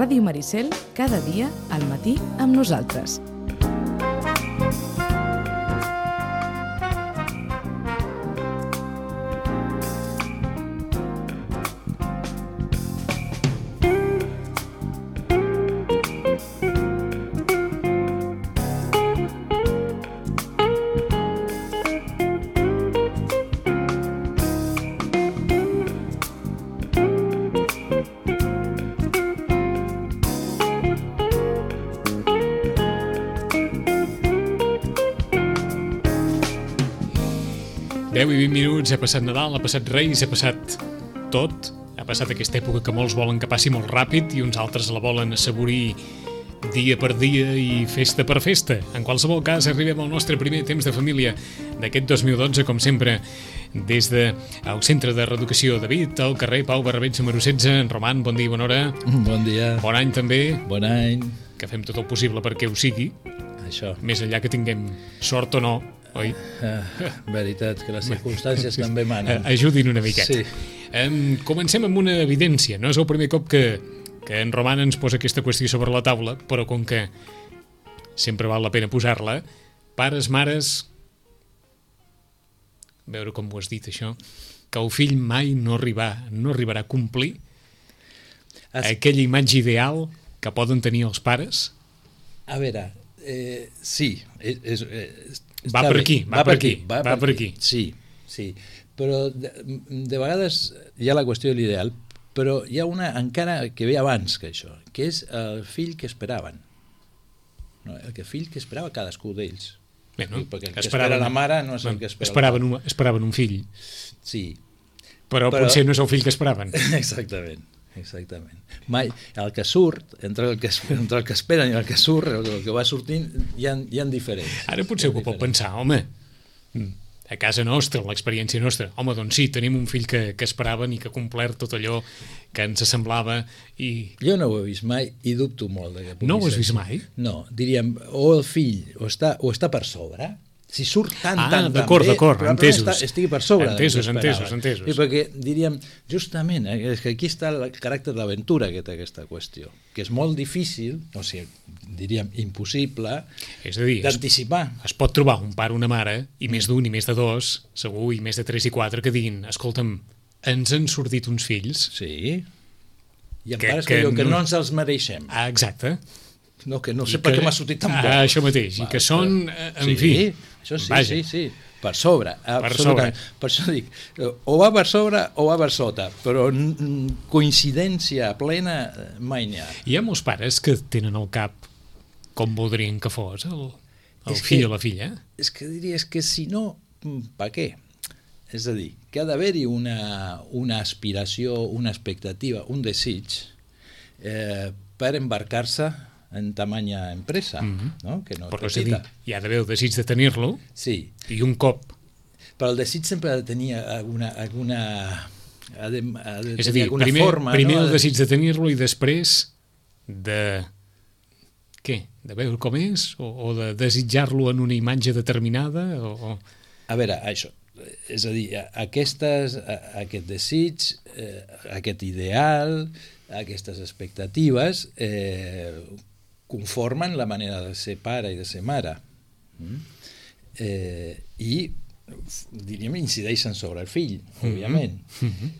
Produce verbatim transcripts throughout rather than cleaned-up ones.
Ràdio Maricel, cada dia al matí amb nosaltres. deu i vint minuts, ha passat Nadal, ha passat Reis, ha passat tot. Ha passat aquesta època que molts volen que passi molt ràpid i uns altres la volen assaborir dia per dia i festa per festa. En qualsevol cas, arribem al nostre primer temps de família d'aquest dos mil dotze, com sempre, des del Centre de Reeducació David, al carrer Pau Barrabeig número setze. En Roman, bon dia i bona hora. Bon dia. Bon any també. Bon any. Que fem tot el possible perquè ho sigui. Això. Més enllà que tinguem sort o no, oi? Uh, veritat, que les circumstàncies també manen. Ajudin una miqueta. Sí. Um, comencem amb una evidència. No és el primer cop que, que en Roman ens posa aquesta qüestió sobre la taula, però com que sempre val la pena posar-la, pares, mares, a veure com ho has dit això, que el fill mai no, arribar, no arribarà a complir es... aquella imatge ideal que poden tenir els pares. A veure, eh, sí, és, és, és Va per aquí, va, va per aquí, va, va per aquí. Sí, sí, però de, de vegades hi ha la qüestió de l'ideal, però hi ha una encara que ve abans que això, que és el fill que esperaven. No, el que fill que esperava cadascú d'ells. Bé, no? Perquè el que espera la mare no és el que espera esperaven un, esperaven un fill. Sí. Però, però potser no és el fill que esperaven. Exactament. Exactament. Mai, el que surt, entre el que, entre el que esperen i el que surt, el que va sortint, hi ha, hi ha diferents. Ara potser algú pot pensar, home, a casa nostra, l'experiència nostra, home, doncs sí, tenim un fill que, que esperaven i que ha complert tot allò que ens semblava i... Jo no ho he vist mai i dubto molt. De que no ho has vist mai? No, diríem, o el fill o està, o està per sobre... Si surt tant, ah, tant, d'acord, tan bé, d'acord, entesos. Està, estigui per sobre. Entesos, entesos, entesos. I perquè diríem, justament, eh, és que aquí està el caràcter d'aventura que té aquesta qüestió, que és molt difícil, o sigui, diríem, impossible, és a dir, d'anticipar. Es, es pot trobar un pare o una mare, i més d'un i més de dos, segur, i més de tres i quatre, que diguin, escolta'm, ens han sortit uns fills... Sí, i en pares que, que, que no... no ens els mereixem. Ah, exacte. No, que no sé I per que... què m'ha sortit tan bo. Ah, això mateix, i que són, en sí, fi... Això sí, vaja. sí, sí, per sobre. Per sobre. Per això dic, o va per sobre o va per sota, però coincidència plena mai n'hi ha. Hi ha molts pares que tenen al cap com voldrien que fos el, el fill que, o la filla. És que diries que si no, per què? És a dir, que ha d'haver-hi una, una aspiració, una expectativa, un desig eh, per embarcar-se en tamanya empresa, mm-hmm. no? Que no és però petita. Dir, hi ha d'haver el desig de tenir-lo, sí. I un cop. Però el desig sempre ha de tenir alguna... alguna ha de, ha de és a dir, primer, forma, primer no? el desig de tenir-lo i després de... Què? De veure com és? O, o de desitjar-lo en una imatge determinada? O, o... A veure, això, és a dir, aquestes, aquest desig, eh, aquest ideal, aquestes expectatives eh, conformen la manera de ser pare i de ser mare. Mm? Eh, I, diríem, incideixen sobre el fill, mm-hmm. òbviament. Mm-hmm.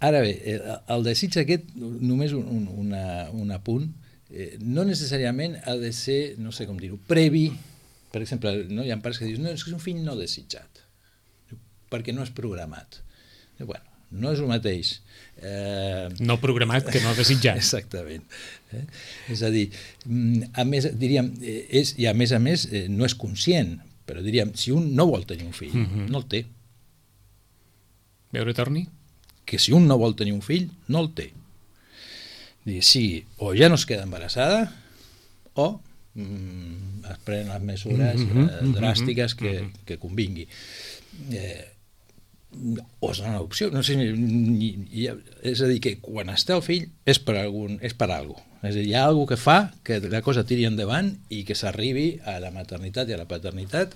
Ara bé, el, el desig aquest, només un, un, una, un apunt, eh, no necessàriament ha de ser, no sé com dir-ho, previ. Per exemple, no? Hi ha pares que diuen, no, és que és un fill no desitjat, perquè no és programat. I, bueno, no és el mateix. Eh... No programat que no desitjat. Exactament. Eh? És a dir, a més, diríem, és, i a més a més eh, no és conscient, però diríem, si un no vol tenir un fill, mm-hmm. no el té. Veure, torni? Que si un no vol tenir un fill, no el té. Dir, sí, o ja no es queda embarassada, o mm, es prenen les mesures mm-hmm. eh, dràstiques que, mm-hmm. que convingui. Eh, o és una opció, no sé, ni, ni, és a dir, que quan està el fill és per algun, és per algo. És a dir, hi ha alguna que fa que la cosa tiri endavant i que s'arribi a la maternitat i a la paternitat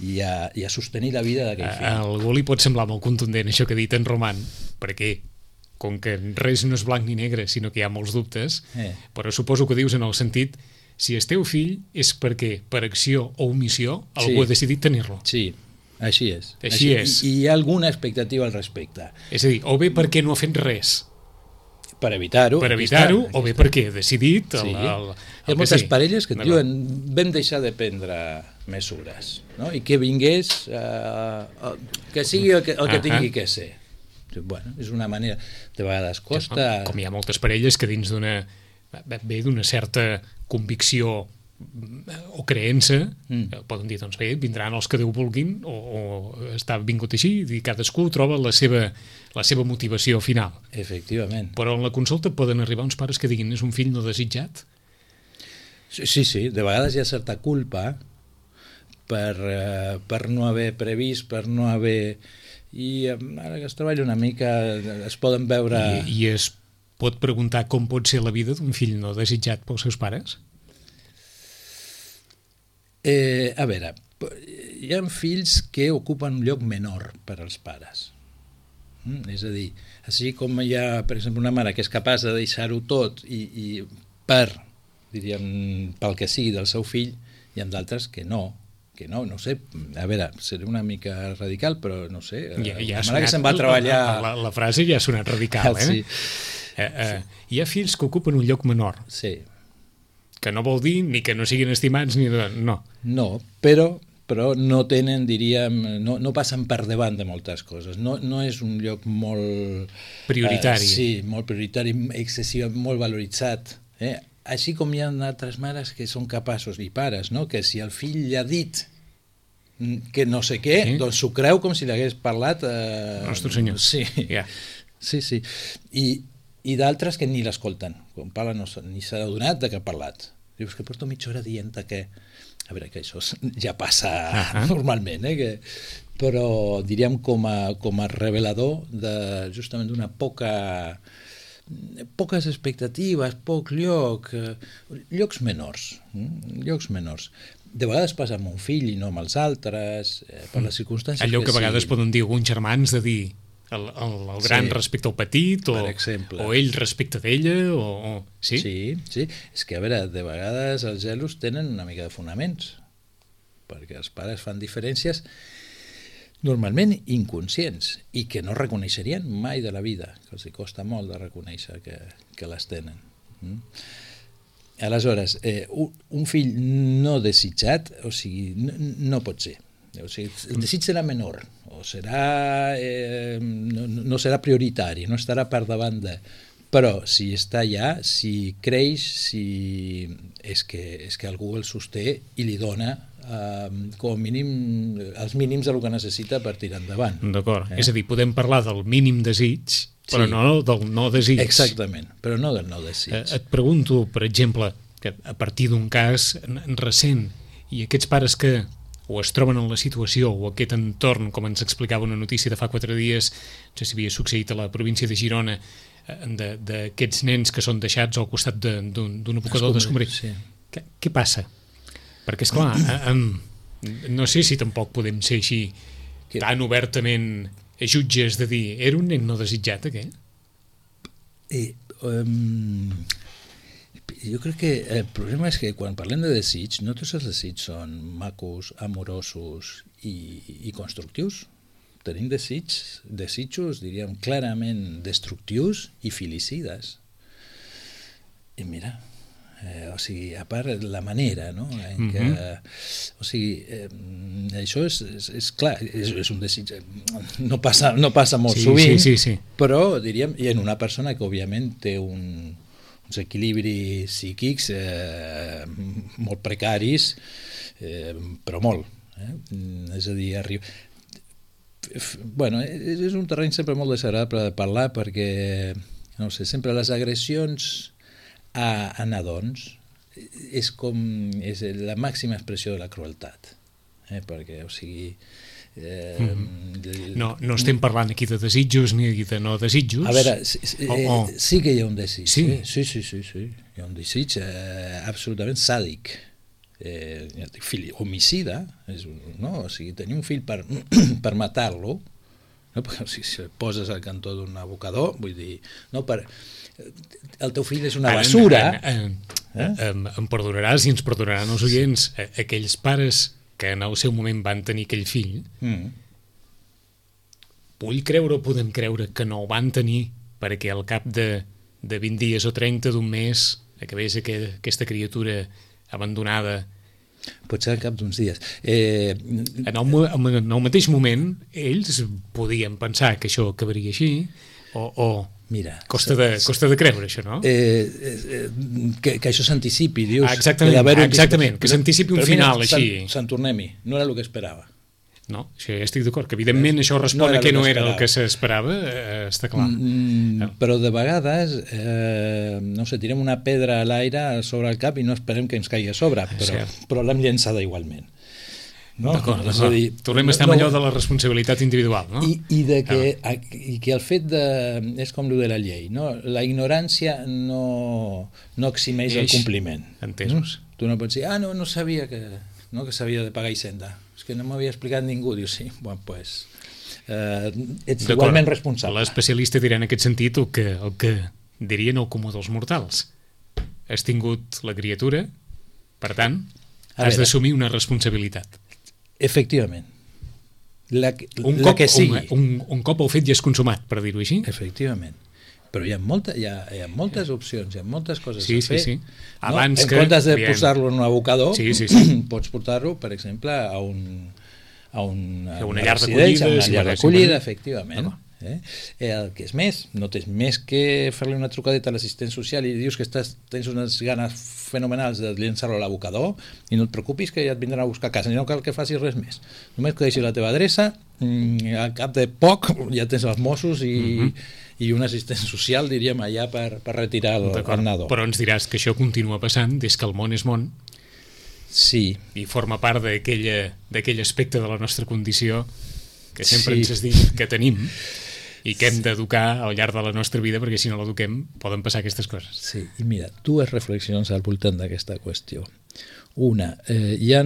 i a, i a sostenir la vida d'aquell fill. A algú li pot semblar molt contundent això que ha dit en Roman, perquè com que res no és blanc ni negre, sinó que hi ha molts dubtes, Eh. però suposo que dius en el sentit, si és teu fill és perquè, per acció o omissió, algú Sí. ha decidit tenir-lo. Sí, així és. Així és. I, I hi ha alguna expectativa al respecte. És a dir, o bé perquè no ha fet res, Per evitar-ho. per aquí evitar-ho, està, o bé aquí està. perquè ha decidit... El, Sí. el, el, Hi ha moltes sí. parelles que et D'acord. diuen vam deixar de prendre mesures, no? I que vingués, eh, que sigui el que, el que Ah, tingui ah. que ser. Bueno, és una manera, de vegades Com, costa... com hi ha moltes parelles que dins d'una bé d'una certa convicció o creença, Mm. mm. poden dir, doncs bé, vindran els que Déu vulguin o, o està vingut així i cadascú troba la seva, la seva motivació final. Efectivament. Però en la consulta poden arribar uns pares que diguin és un fill no desitjat. Sí, sí, sí, de vegades hi ha certa culpa per, eh, per no haver previst, per no haver... I eh, ara que es treballa una mica es poden veure... I, I es pot preguntar com pot ser la vida d'un fill no desitjat pels seus pares? Eh, a veure, hi ha fills que ocupen un lloc menor per als pares. Mm? És a dir, així com hi ha, per exemple, una mare que és capaç de deixar-ho tot i, i per, diríem, pel que sigui del seu fill, hi ha d'altres que no, que no, no sé, a veure, seré una mica radical, però no sé, Ja, ja la ha mare que sonat- se'n va treballar... La, la, la frase ja ha sonat radical, eh? Sí, Eh, eh, hi ha fills que ocupen un lloc menor, sí. que no vol dir ni que no siguin estimats ni de... No. No, però, però no tenen, diríem, no, no passen per davant de moltes coses. No, no és un lloc molt... Prioritari. Eh, sí, molt prioritari, excessiu, molt valoritzat. Eh? Així com hi ha altres mares que són capaços, i pares, no? Que si el fill li ha dit que no sé què, Sí. doncs s'ho creu com si l'hagués parlat... Eh... Nostre Senyor. Sí, Ja. sí, sí. I, i d'altres que ni l'escolten. Quan parla no, se- ni s'ha adonat de que ha parlat. Dius que porto mitja hora dient que... A veure, que això ja passa Ahà. normalment, eh? Que... però diríem com a, com a revelador de, justament d'una poca... poques expectatives, poc lloc, eh, llocs menors, mm? llocs menors. De vegades passa amb un fill i no amb els altres, eh, per les circumstàncies Allò que a vegades siguin. poden dir alguns germans de dir el, el, el gran Sí. respecte al petit o, Per exemple. o ell respecte d'ella o, o... Sí? Sí, sí. És que, a veure, de vegades els gelos tenen una mica de fonaments, perquè els pares fan diferències normalment inconscients i que no reconeixerien mai de la vida, que els hi costa molt de reconèixer que, que les tenen. Mm? Aleshores, eh, un, un fill no desitjat, o sigui, no, no pot ser. O sigui, el desig serà menor, o serà, eh, no, no serà prioritari, no estarà per davant de... Però si està allà, si creix, si és que, és que algú el sosté i li dona eh, com a mínim els mínims del que necessita per tirar endavant. D'acord. Eh? És a dir, podem parlar del mínim desig, però Sí. no del no desig. Exactament, però no del no desig. Eh, et pregunto, per exemple, que a partir d'un cas recent, i aquests pares que o es troben en la situació o aquest entorn, com ens explicava una notícia de fa quatre dies, no sé si havia succeït a la província de Girona, d'aquests nens que són deixats al costat d'un de, abocador d'escombraria. Sí. Què, què passa? Perquè, esclar, eh, eh, no sé si tampoc podem ser així Que- tan obertament jutges de dir era un nen no desitjat, aquest? I, um, jo crec que el problema és que quan parlem de desig, no tots els desigs són macos, amorosos i, i constructius. Tenim desigs, desitjos, diríem, clarament destructius i filicides. I mira, eh, o sigui, a part la manera, no?, en què, o sigui, eh, això és, és, és clar, és, és un desig, no passa, no passa molt Sí, sovint, sí, sí, sí. però diríem, i en una persona que òbviament té un, uns equilibris psíquics eh, molt precaris, eh, però molt. Eh? És a dir, arriba... Bueno, és, és un terreny sempre molt desagradable de parlar perquè, no sé, sempre les agressions a, a nadons és com és la màxima expressió de la crueltat, eh? Perquè, o sigui... Eh, Mm. No, no estem parlant aquí de desitjos ni de no desitjos. A veure, sí, sí, Oh, eh, oh. sí que hi ha un desig. Sí? Eh? Sí, sí, sí, sí. Hi ha un desig eh, absolutament sàdic. Eh, fill homicida, és, un- no? O sigui, tenir un fill per, per matar-lo, No? Perquè si, si poses al cantó d'un abocador, vull dir, no, per, el teu fill és una basura. En, en, en, eh? em, em perdonaràs i ens perdonaran els oients, aquells pares que en el seu moment van tenir aquell fill, mm. vull creure o podem creure que no el van tenir perquè al cap de, de vint dies o trenta d'un mes acabés aquest, aquesta criatura abandonada. Potser al cap d'uns dies. Eh... En, el, en el mateix moment, ells podien pensar que això acabaria així, o, o Mira, costa, de, costa de creure, això, no? Eh, eh, que, que això s'anticipi, dius. Ah, exactament, que exactament, que s'anticipi un final mira, així. Sant Tornem-hi, no era el que esperava. No, això ja estic d'acord, que evidentment això respon no a que no era el que s'esperava, eh, està clar. Mm, no. Però de vegades, eh, no sé, tirem una pedra a l'aire sobre el cap i no esperem que ens caigui a sobre, però, però l'hem llançada igualment. No? D'acord, d'acord. Dir, tornem a estar no, amb allò de la responsabilitat individual, no? I, i, de que, ah. i que el fet de... és com el de la llei, no? La ignorància no, no eximeix Eix, el compliment. Entesos. Mm? Tu no pots dir, ah, no, no sabia que, no, que s'havia de pagar Hisenda. És que no m'havia explicat ningú. Diu, sí, bueno, pues, eh, ets igualment responsable. L'especialista dirà en aquest sentit el que, el que dirien el comú dels mortals. Has tingut la criatura, per tant, has d'assumir una responsabilitat. Efectivament. La, un, la cop, que sigui. Un, un, un cop el fet ja és consumat, per dir-ho així. Efectivament. Però hi ha, molta, hi, ha, hi ha moltes opcions, hi ha moltes coses sí, a fer. Sí, sí. Abans no? En que, comptes de bien. posar-lo en un abocador, sí, sí, sí. pots portar-lo, per exemple, a, un, a, un, a una llar d'acollida. Una llar d'acollida, efectivament. Eh? El que és més, no tens més que fer-li una trucadeta a l'assistent social i dius que estàs, tens unes ganes fenomenals de llençar-lo a l'abocador i no et preocupis que ja et vindran a buscar a casa, no cal que facis res més. Només que deixis la teva adreça, al cap de poc ja tens els Mossos i, uh-huh. i un assistent social, diríem, allà per, per retirar el, el nadó. Però ens diràs que això continua passant des que el món és món. Sí. I forma part d'aquell aspecte de la nostra condició que sempre sí. ens has dit que tenim i que hem d'educar al llarg de la nostra vida, perquè si no l'eduquem poden passar aquestes coses. Sí, i mira, dues reflexions al voltant d'aquesta qüestió. Una, eh, hi ha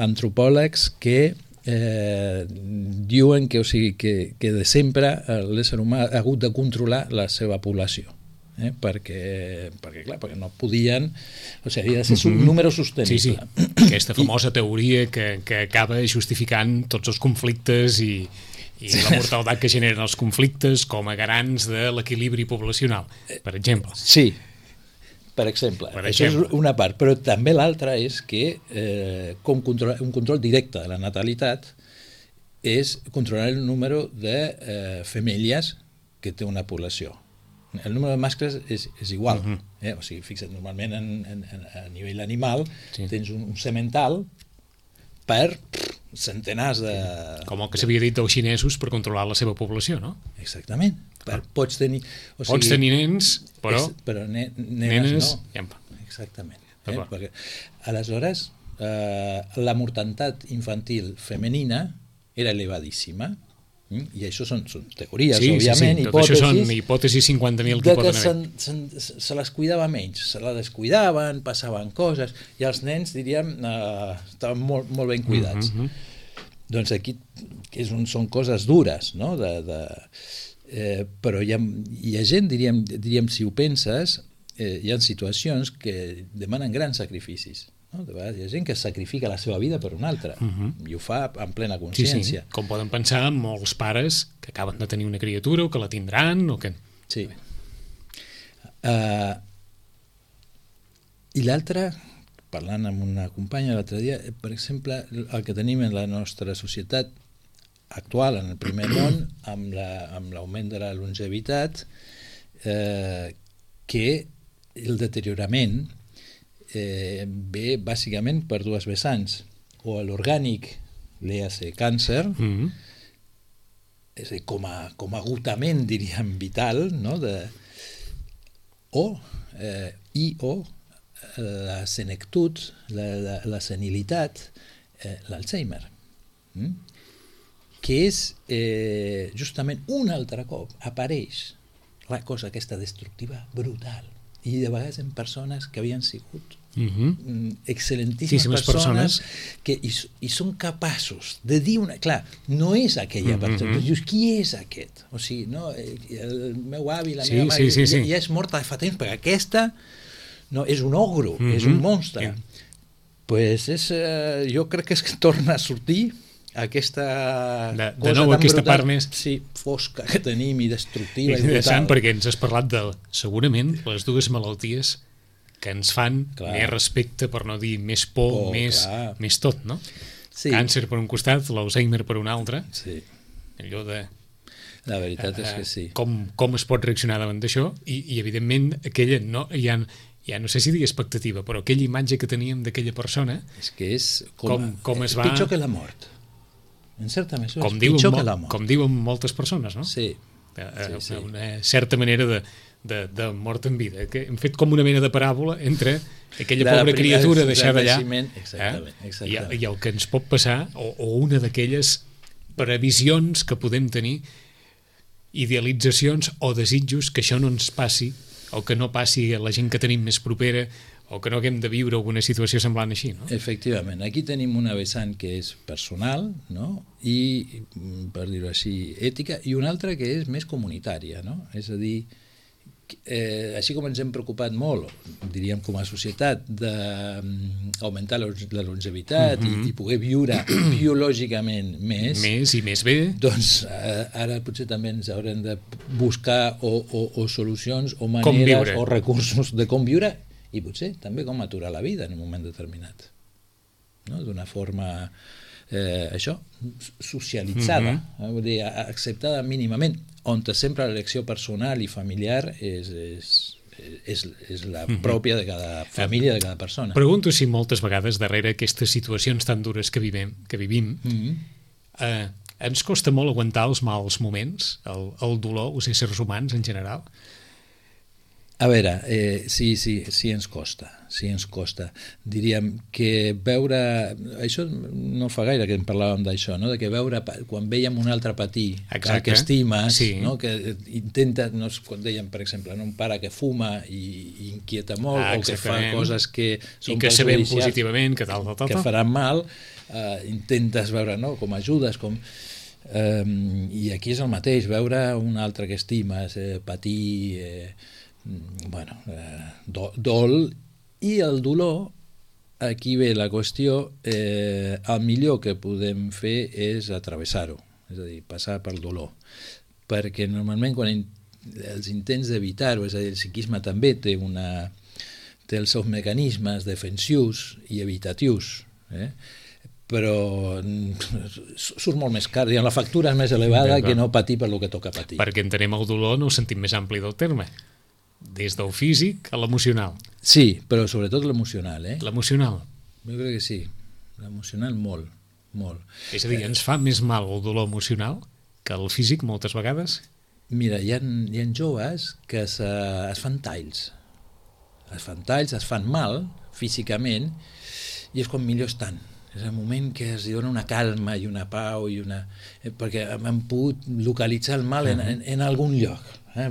antropòlegs que eh, diuen que, o sigui, que, que de sempre l'ésser humà ha hagut de controlar la seva població. Eh, perquè, perquè, clar, perquè no podien, o sigui, havia de ser un mm-hmm. número sostenible. Sí, sí. Aquesta famosa teoria que, que acaba justificant tots els conflictes i i la mortaldat que generen els conflictes com a garants de l'equilibri poblacional, per exemple. Sí, per exemple. Per Això exemple. és una part, però també l'altra és que eh, com control, un control directe de la natalitat és controlar el número de eh, femelles que té una població. El número de mascles és, és igual. Uh-huh. eh? O sigui, fixa't, normalment en, en, en, a nivell animal sí. tens un, un semental per centenars de... Com el que s'havia dit dels xinesos per controlar la seva població, no? Exactament. Per, pots tenir... O sigui, pots tenir nens, però... És, però ne, nenes, nenes no. Ja. Exactament. Eh? Perquè, aleshores, eh, la mortalitat infantil femenina era elevadíssima. Mm? I això són, són teories, sí, òbviament, sí, sí. hipòtesis. Això són hipòtesis cinquanta mil que poden haver. Se, se, se les cuidava menys, se la descuidaven, passaven coses, i els nens, diríem, eh, estaven molt, molt ben cuidats. Mm-hmm. Doncs aquí és un, són coses dures, no? De, de, eh, però hi ha, hi ha gent, diríem, diríem, si ho penses, eh, hi ha situacions que demanen grans sacrificis. No? De vegades hi ha gent que sacrifica la seva vida per una altra uh-huh. i ho fa en plena consciència. Sí, sí. Com poden pensar molts pares que acaben de tenir una criatura o que la tindran o que... Sí. Uh, I l'altre, parlant amb una companya l'altre dia, per exemple, el que tenim en la nostra societat actual, en el primer món, amb, la, amb l'augment de la longevitat, eh, que el deteriorament Eh, ve bàsicament per dues vessants, o l'orgànic, l'E-A-C càncer, mm-hmm. és a dir, com a, com a agotament, diríem, vital, no? de, o, eh, i o la senectut, la, la, la senilitat, eh, l'Alzheimer, mm? que és eh, justament un altre cop apareix la cosa aquesta destructiva brutal i de vegades en persones que havien sigut Uh -huh. excel·lentíssimes persones, persones que i, i són capaços de dir una... Clar, no és aquella persona, uh -huh. dius, qui és aquest? O sigui, no, el meu avi, la sí, meva mare, sí, sí, sí. ja, ja és morta de fa temps, perquè aquesta no, és un ogro, uh -huh. és un monstre. Uh -huh. Pues és, eh, jo crec que és que torna a sortir aquesta de, de cosa nou tan aquesta brutal, part més sí, fosca que tenim i destructiva és i brutal. interessant perquè ens has parlat de segurament les dues malalties que ens fan clar. Més respecte, per no dir més por, oh, més, més tot, no? Sí. Càncer per un costat, l'Alzheimer per un altre. Sí. Allò de... La veritat eh, és que sí. Com, com es pot reaccionar davant d'això i, i evidentment aquella, no, ja, ja no sé si dir expectativa, però aquella imatge que teníem d'aquella persona... És que és com, com, com es va... pitjor que la mort. En certa mesura com és diuen, pitjor que la mort. Com diuen moltes persones, no? Sí. Eh, sí, sí. Una certa manera de... De, de mort en vida, que hem fet com una mena de paràbola entre aquella de pobra criatura deixada allà exactament, exactament. Eh? I, i el que ens pot passar o, o una d'aquelles previsions que podem tenir, idealitzacions o desitjos que això no ens passi o que no passi a la gent que tenim més propera o que no haguem de viure alguna situació semblant així, no? Efectivament, aquí tenim una vessant que és personal, no? I, per dir-ho així, ètica, i una altra que és més comunitària, no? És a dir, Eh, així com ens hem preocupat molt, diríem com a societat, d'augmentar la, la longevitat uh -huh. i, i poder viure biològicament més, més i més bé, doncs eh, ara potser també ens haurem de buscar o, o, o solucions o maneres o recursos de com viure i potser també com aturar la vida en un moment determinat, no? D'una forma eh, això, socialitzada, uh -huh. vull dir, acceptada mínimament, on sempre l'elecció personal i familiar és, és, és, és la pròpia de cada família, de cada persona. Pregunto si moltes vegades darrere aquestes situacions tan dures que vivim, que vivim mm-hmm. eh, ens costa molt aguantar els mals moments, el, el dolor, els éssers humans en general? A veure, eh, sí, sí, sí ens costa, sí ens costa. Diríem que veure... Això no fa gaire que en parlàvem d'això, no? De que veure, quan veiem un altre patir, el que estimes, sí. No? Que intenta, no, quan dèiem, per exemple, no? Un pare que fuma i, i inquieta molt, ah, o que fa coses que són I que sabem positivament que tal, tal, tal, que faran mal, eh, intentes veure, no? Com ajudes, com... Eh, i aquí és el mateix, veure un altre que estimes, eh, patir... Eh, bueno, eh, do, dol i el dolor, aquí ve la qüestió, eh, el millor que podem fer és atravessar-ho, és a dir, passar pel dolor, perquè normalment quan in, els intents d'evitar-ho, és a dir, el psiquisme també té, una, té els seus mecanismes defensius i evitatius, eh? Però surt molt més car, la factura és més elevada que no patir per lo que toca patir. Perquè entenem el dolor en el sentit més ampli del terme, des del físic a l'emocional. Sí, però sobretot l'emocional, eh? L'emocional? Jo crec que sí, l'emocional molt, molt. És a dir, ens fa més mal el dolor emocional que el físic moltes vegades? Mira, hi ha, hi ha joves que es, es fan talls, es fan talls, es fan mal físicament i és quan millor estan. És el moment que es dona una calma i una pau i una... Eh, perquè han pogut localitzar el mal en, en, en algun lloc. Eh?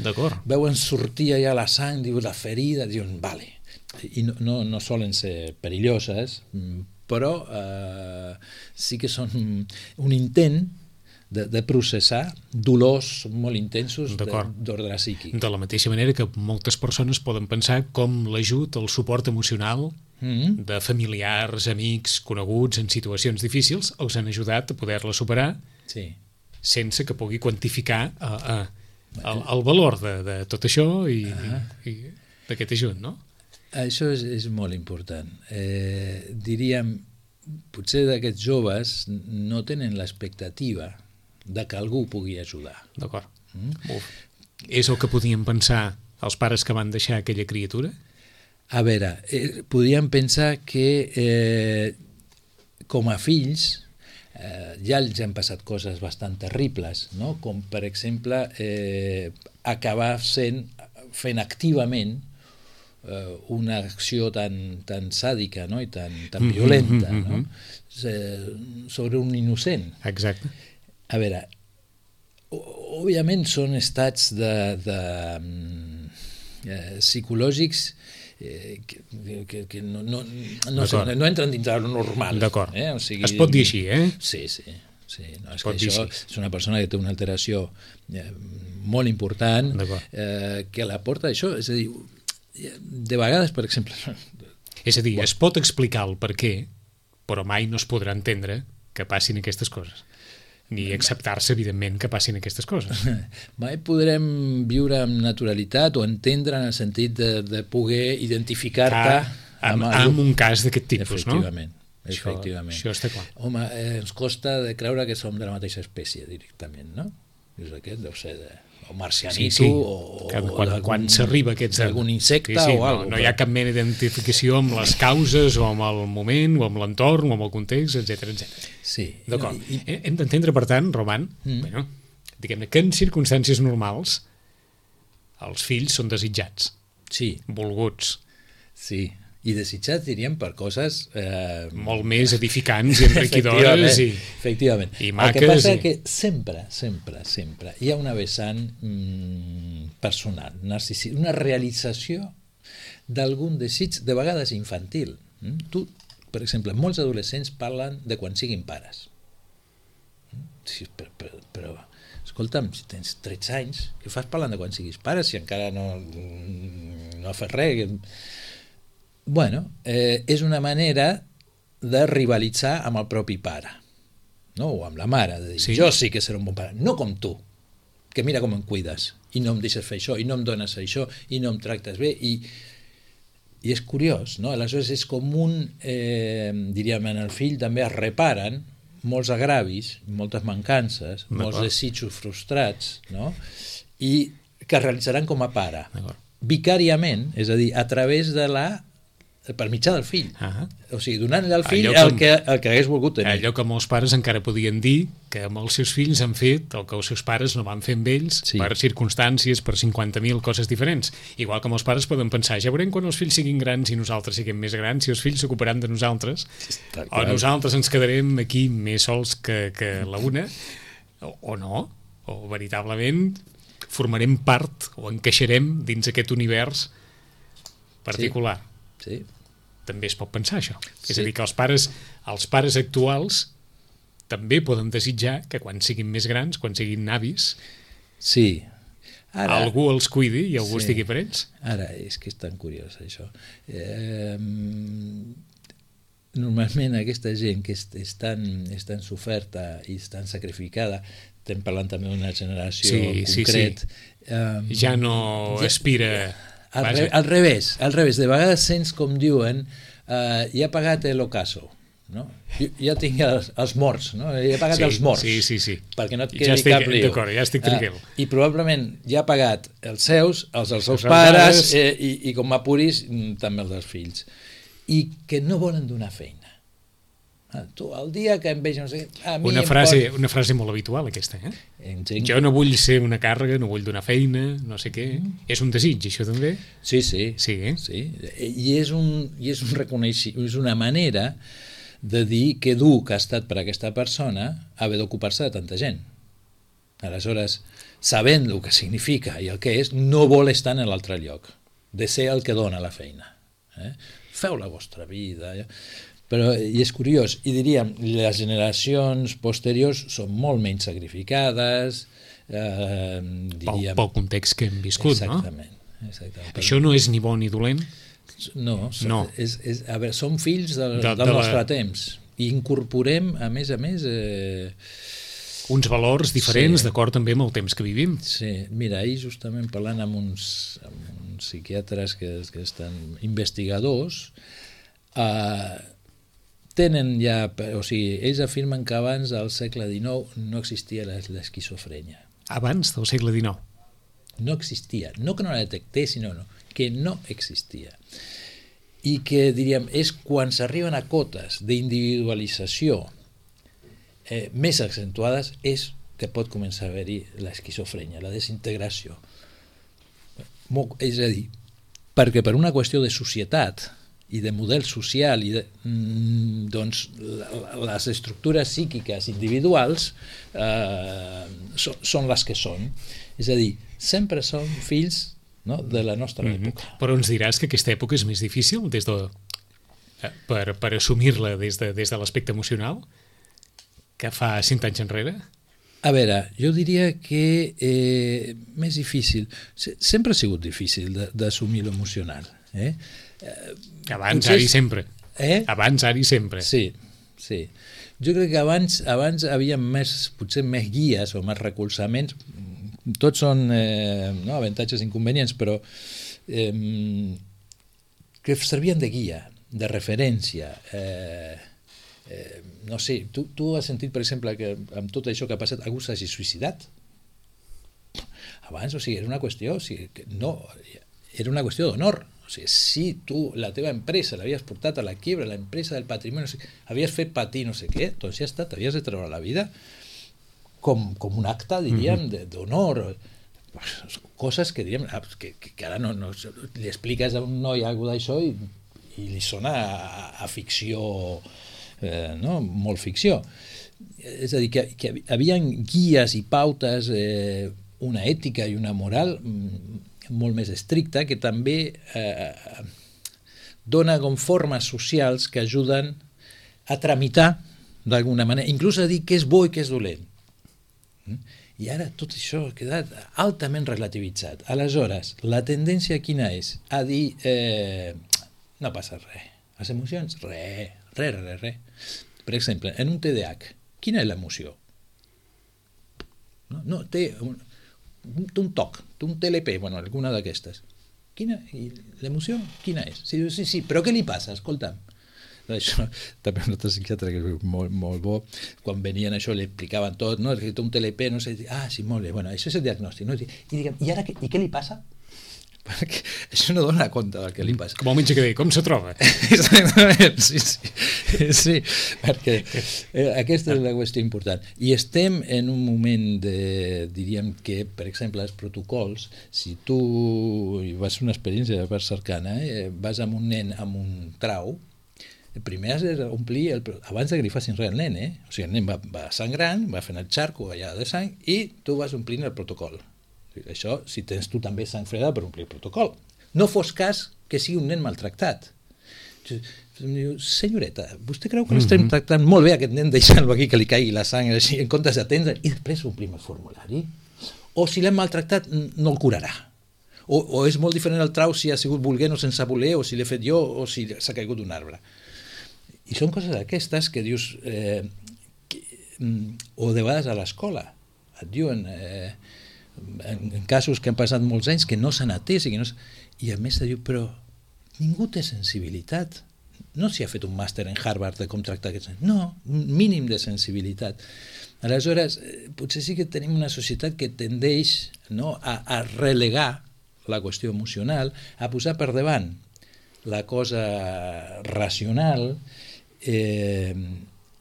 D'acord. Veuen sortir allà la sang, diuen la ferida, diuen, vale. I no, no, no solen ser perilloses, però eh, sí que són un intent de, de processar dolors molt intensos d'ordre psíquic. De la mateixa manera que moltes persones poden pensar com l'ajut, el suport emocional mm-hmm. de familiars, amics, coneguts en situacions difícils els han ajudat a poder-la superar sí. sense que pugui quantificar a, a, el, el valor de, de tot això i, ah. i, i d'aquest ajut, no? Això és, és molt important. Eh, diríem, potser d'aquests joves no tenen l'expectativa de que algú pugui ajudar. D'acord. Mm? És el que podien pensar els pares que van deixar aquella criatura? A veure, eh, podíem pensar que eh, com a fills eh, ja els han passat coses bastant terribles, no? Com per exemple eh, acabar sent, fent activament eh, una acció tan, tan sàdica, no? I tan, tan violenta, mm-hmm, no? Mm-hmm. Sobre un innocent. Exacte. A veure, òbviament són estats de, de, eh, psicològics eh, que, que, que no, no, no, sé, no entren dins del normal. D'acord. Eh? O sigui, es pot dir així, eh? Sí, sí. sí. No, és pot que això així. és una persona que té una alteració eh, molt important, eh, que la porta això, és a dir, de vegades, per exemple... És a dir, bueno. es pot explicar el per què, però mai no es podrà entendre que passin aquestes coses. Ni acceptar-se, evidentment, que passin aquestes coses. Mai podrem viure amb naturalitat o entendre en el sentit de, de poder identificar-te ah, amb, amb, amb un cas d'aquest tipus, efectivament, no? Efectivament. Això, això està clar. Home, eh, ens costa de creure que som de la mateixa espècie, directament, no? És aquest, deu ser de... o marcianito, sí, sí. o, quan, quan, quan s'arriba aquests... algun insecte sí, sí, o alguna cosa. No, no hi ha cap mena d'identificació amb les causes o amb el moment o amb l'entorn o amb el context, etcètera, etcètera. Sí. D'acord. I... Hem d'entendre, per tant, Roman, mm. bueno, diguem-ne que en circumstàncies normals els fills són desitjats. Sí. Volguts. Sí. I desitjats, diríem, per coses... Eh... molt més edificants i enriquidores i, efectivament. i maques. El que passa i... és que sempre, sempre, sempre hi ha una vessant mm, personal, narcisista, una realització d'algun desig, de vegades infantil. Mm? Tu, per exemple, molts adolescents parlen de quan siguin pares. Mm? Sí, però, però, però escolta'm, si tens tretze anys, què fas parlant de quan siguis pare si encara no, no has fet res? Bueno, eh, és una manera de rivalitzar amb el propi pare, no? O amb la mare, de dir, sí. Jo sí que seré un bon pare, no com tu, que mira com em cuides, i no em deixes fer això, i no em dones això, i no em tractes bé, i, i és curiós, no? Aleshores és com un, eh, diríem, en el fill també es reparen molts agravis, moltes mancances, molts desitjos frustrats, no? I que es realitzaran com a pare, vicàriament, és a dir, a través de la per mitjà del fill. Uh-huh. O sigui, donant-li al fill el que, el que hagués volgut tenir. Allò que molts pares encara podien dir que amb els seus fills han fet el que els seus pares no van fer amb ells, sí. Per circumstàncies, per cinquanta mil coses diferents. Igual que molts pares poden pensar, ja veurem quan els fills siguin grans i nosaltres siguem més grans, si els fills s'ocuparan de nosaltres, o nosaltres ens quedarem aquí més sols que, que la una, o, o no, o veritablement formarem part o encaixarem dins aquest univers particular. Sí. Sí. També es pot pensar això. Sí. És a dir, que els pares, els pares actuals també poden desitjar que quan siguin més grans, quan siguin avis, sí. Ara, algú els cuidi i algú sí. estigui per ells. Ara, és que és tan curiós això. Eh, normalment aquesta gent que és, és, tan, és tan soferta i és tan sacrificada, estem parlant també d'una generació sí, concret, sí, sí. Eh, ja no ja, aspira... Al, re, al revés, al revés, de vegades sents com diuen uh, ja he pagat l'ocaso, no? Jo, ja tinc els, els morts, no? Ja he pagat sí, els morts, sí, sí, sí. perquè no et quedi ja estic, cap lío. D'acord, ja estic tranquil. Uh, I probablement ja ha pagat els seus, els dels seus els pares, eh, i, i com m'apuris, també els dels fills. I que no volen donar feina. Ah, tu, el dia que em veig, no sé, a mi una, em frase, pot... una frase molt habitual, aquesta, eh? Entenc. Jo no vull ser una càrrega, no vull donar feina, no sé què. Mm. És un desig, això també? Sí, sí. Sí, eh? Sí. I és un, i és un reconeixement, és una manera de dir que dur que ha estat per aquesta persona haver d'ocupar-se de tanta gent. Aleshores, sabent el que significa i el que és, no vol estar en l'altre lloc, de ser el que dona la feina. Eh? Feu la vostra vida... Ja. Però, i és curiós, i diríem, les generacions posteriors són molt menys sacrificades, eh, diríem... Pel, pel context que hem viscut, exactament, no? Exactament. Això no és ni bo ni dolent? No, som, no. És, és, a veure, som fills del, de, del de nostre la... temps, i incorporem, a més a més... Eh... uns valors diferents, sí. D'acord també amb el temps que vivim. Sí, mira, ahir justament parlant amb uns, amb uns psiquiatres que, que estan investigadors, eh, tenen ja, o sigui, ells afirmen que abans del segle dinou no existia l'esquizofrènia. Abans del segle dinou? No existia, no que no la detectés, sinó no, que no existia. I que, diríem, és quan s'arriben a cotes d'individualització eh, més accentuades, és que pot començar a haver-hi l'esquizofrènia, la desintegració. És a dir, perquè per una qüestió de societat i de model social i de, doncs les estructures psíquiques individuals eh, so, són les que són, és a dir, sempre som fills no? De la nostra mm-hmm. època. Però ens diràs que aquesta època és més difícil des de, per, per assumir-la des de, des de l'aspecte emocional que fa cinc anys enrere? A veure, jo diria que eh, més difícil, sempre ha sigut difícil d'assumir l'emocional. Eh? Abans, ara i sempre. Eh? Abans, ara i sempre. Sí, sí. Jo crec que abans, abans havia més, potser més guies o més recolzaments. Tots són eh, no, avantatges i inconvenients, però eh, que servien de guia, de referència. Eh, eh, no sé, tu, tu has sentit, per exemple, que amb tot això que ha passat algú s'hagi suïcidat? Abans, o sigui, era una qüestió, o sigui, que no, era una qüestió d'honor. O sigui, si tu, la teva empresa, l'havies portat a la quiebra, la empresa del patrimoni, o sigui, havies fet patir no sé què, doncs ja està, t'havies de treure la vida com, com un acte, diríem, mm-hmm. d'honor. Coses que, diríem, que, que ara no, no, li expliques a un noi alguna d'això i, i li sona a, a ficció, eh, no? Molt ficció. És a dir, que, que hi havia guies i pautes, eh, una ètica i una moral molt més estricta, que també eh, dona com formes socials que ajuden a tramitar d'alguna manera, inclús a dir què és bo i què és dolent. I ara tot això ha quedat altament relativitzat. Aleshores, la tendència quina és? A dir, eh, no passa res. Les emocions, res, res, res, res. Per exemple, en un T D A H, quina és l'emoció? No, no té un, un toc, té un T L P, bueno, alguna d'aquestes. Quina? I l'emoció, quina és? Sí, sí, sí, però què li passa? Escolta'm. Això, també un altre psiquiatre que és molt, molt bo, quan venien això li explicaven tot, no? Que té un T L P, no sé, ah, sí, molt bé, bueno, això és el diagnòstic, no? I, diguem, i ara què, i què li passa? Perquè això no dona compte del que li passa. Com el metge que deia, com se troba? Exactament, sí, sí, sí, perquè eh, aquesta és la qüestió important. I estem en un moment de, diríem que, per exemple, els protocols, si tu vas fer una experiència per cercana, eh, vas amb un nen amb un trau, primer has d'omplir, el, abans que li facin res al nen, eh? O sigui, el nen va, va sangrant, va fent el xarco allà de sang i tu vas omplint el protocol. Això, si tens tu també sang freda per omplir el protocol. No fos cas que sigui un nen maltractat. Em diu, senyoreta, vostè creu que l'estem mm-hmm. tractant molt bé aquest nen, deixant-lo aquí que li caigui la sang així, en comptes d'atendre, i després omplim el formulari? O si l'hem maltractat, no el curarà? O, o és molt diferent el trau si ha sigut volent o sense voler, o si l'he fet jo, o si s'ha caigut d'un arbre. I són coses d'aquestes que dius, eh, que, o de vegades a l'escola, et diuen... Eh, En, en casos que han passat molts anys que no s'han atès i, que no, i a més te diu, però ningú té sensibilitat, no s'hi ha fet un màster en Harvard de com tractar aquests nens, no, un mínim de sensibilitat. Aleshores, potser sí que tenim una societat que tendeix, no, a, a relegar la qüestió emocional, a posar per davant la cosa racional eh,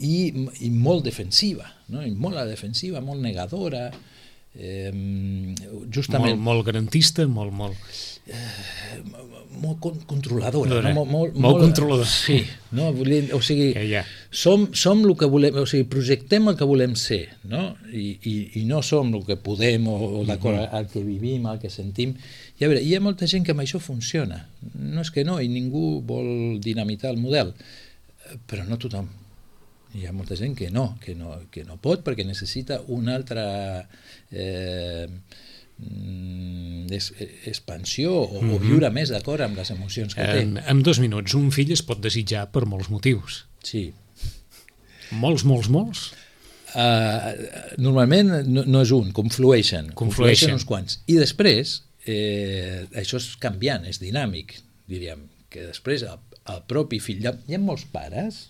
i, i molt defensiva, no? I molt a la defensiva, molt negadora, Eh, justament molt, molt garantista, molt molt eh, molt con controladora, no? molt, molt, molt, molt controladora, sí, no? O sigui, ja. som, som el que volem, o sigui, projectem el que volem ser, no? I, i, i no som el que podem o, o d'acord mm-hmm. al que vivim, al que sentim. I a veure, hi ha molta gent que amb això funciona, no és que no, i ningú vol dinamitar el model, però no tothom. Hi ha molta gent que no, que no, que no pot perquè necessita una altra eh, es, expansió o, mm-hmm. o viure més d'acord amb les emocions que té. En, en dos minuts, un fill es pot desitjar per molts motius. Sí. Molts, molts, molts? Uh, normalment no, no és un, conflueixen. Conflueixen. Conflueixen uns quants. I després, eh, això és canviant, és dinàmic, diríem, que després el, el propi fill... Hi ha, hi ha molts pares...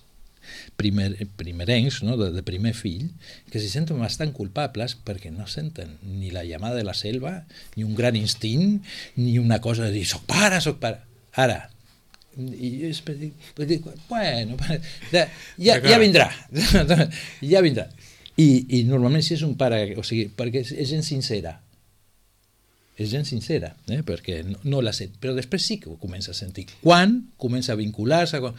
Primer, primerencs, no? de, de primer fill, que se senten bastant culpables perquè no senten ni la llamada de la selva, ni un gran instint, ni una cosa de dir, soc pare, soc pare. Ara, i és, bueno, ja, ja, ja vindrà, ja vindrà. I, i normalment si és un pare, o sigui, perquè és, és gent sincera, és gent sincera, eh? Perquè no, no la sent, però després sí que ho comença a sentir. Quan comença a vincular-se, quan...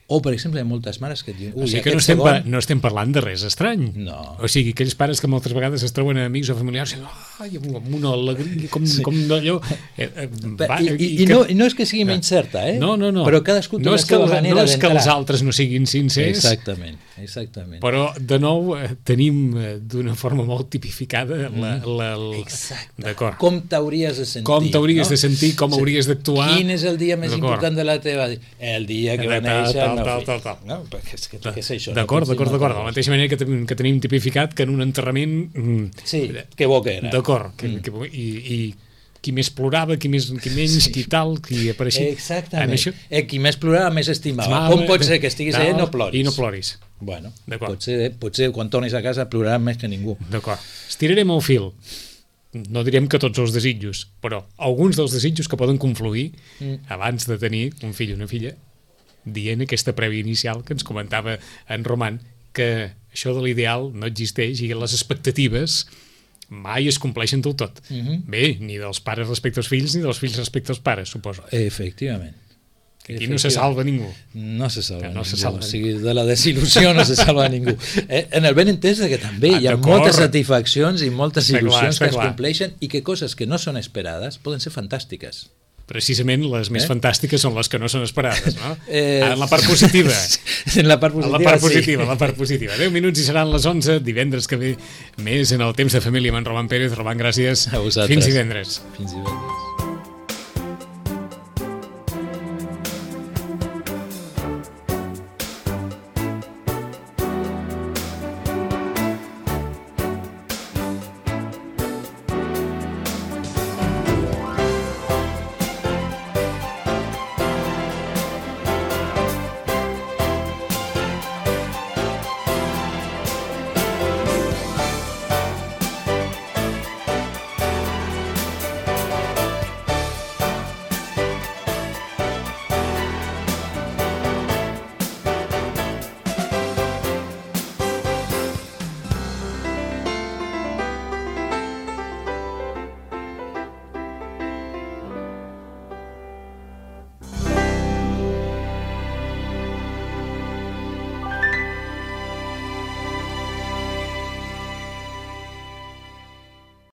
O, per exemple, hi ha moltes mares que et diuen... O sigui que no estem, segon... no estem parlant de res estrany. No. O sigui, aquells pares que moltes vegades es troben amics o familiars i ai, amb una alegria, com, sí. com d'allò... Eh, eh, va, I, i, i, que... no, I no és que sigui menys certa, eh? No, no, no. Però cadascú té no la seva manera no d'entrar. És que els altres no siguin sincers. Exactament, exactament. Però, de nou, eh, tenim eh, d'una forma molt tipificada la... la, la... Exacte. D'acord. Com t'hauries de sentir. Com t'hauries no? de sentir, com sí. hauries d'actuar. Quin és el dia més important de la teva vida? El dia que va néixer el meu fill. No? Perquè és que, que és això. D'acord, no? d'acord, d'acord. De la mateixa manera que, ten, que tenim tipificat que en un enterrament... Sí, que bo que era. D'acord. Mm. Que, que, i, I qui més plorava, qui, més, qui menys, sí. qui tal, qui apareixia... Exactament. Això... Eh, qui més plorava, més estimava. estimava Com pot ser que estiguis allà i no ploris? I no ploris. Bueno, potser, potser quan tornis a casa ploraràs més que ningú. D'acord. Estirarem el fil. No direm que tots els desitjos, però alguns dels desitjos que poden confluir mm. abans de tenir un fill o una filla, dient aquesta prèvia inicial que ens comentava en Roman, que això de l'ideal no existeix i les expectatives mai es compleixen del tot. Mm-hmm. Bé, ni dels pares respecte als fills ni dels fills respecte als pares, suposo. Efectivament. Aquí no se salva ningú. No se salva no ningú. Se salva o sigui, de la desil·lusió no se salva ningú. Eh, en el ben entès que també ah, hi ha moltes satisfaccions i moltes està il·lusions clar, que es clar. compleixen i que coses que no són esperades poden ser fantàstiques. Precisament les més eh? fantàstiques són les que no són esperades, no? Eh... En la part positiva. En la part positiva, en la part positiva, sí. En la part positiva. deu minuts i seran les onze, divendres que ve més en el Temps de Família amb en Roman Pérez. Roman, gràcies. A vosaltres. Fins divendres. Fins divendres.